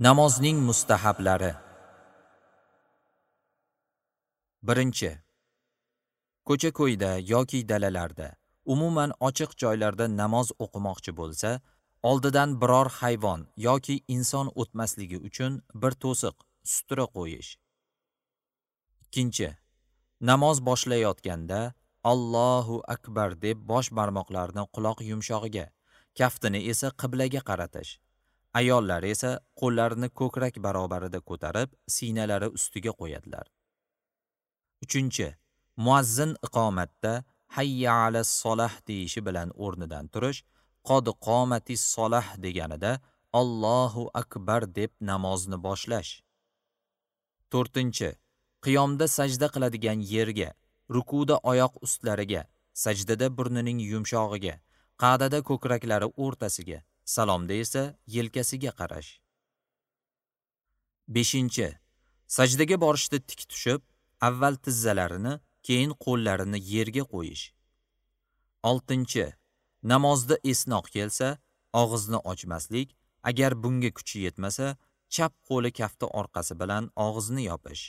Namozning mustahablari. 1. Ko'cha-ko'yda yoki dalalarda, umuman ochiq joylarda namoz o'qimoqchi bo'lsa, oldidan biror hayvon yoki inson o'tmasligi uchun bir to'siq, sutra qo'yish. 2. Namoz boshlayotganda Allohu akbar deb bosh barmoqlarini quloq yumshog'iga, kaftini esa qiblaga qaratish. Ayollar esa qo'llarini ko'krak barobarida ko'tarib, siynalari ustiga qo'yadilar. 3. Muazzin iqomatda hayya alas solah deyishi bilan o'rnidan turish, qod qomatis solah deganida Allohu akbar deb namozni boshlash. 4. Qiyomda sajda qiladigan yerga, rukuda oyoq ustlariga, sajdada burnining yumshog'iga, qa'dada ko'kraklari o'rtasiga, salomda esa yelkasiga qarash. 5. Sajdaga borishda tik tushib, avval tizzalarini, keyin qo'llarini yerga qo'yish. 6. Namozda esnoq kelsa, og'izni ochmaslik, agar bunga kuchi yetmasa, chap qo'li kafti orqasi bilan og'izni yopish.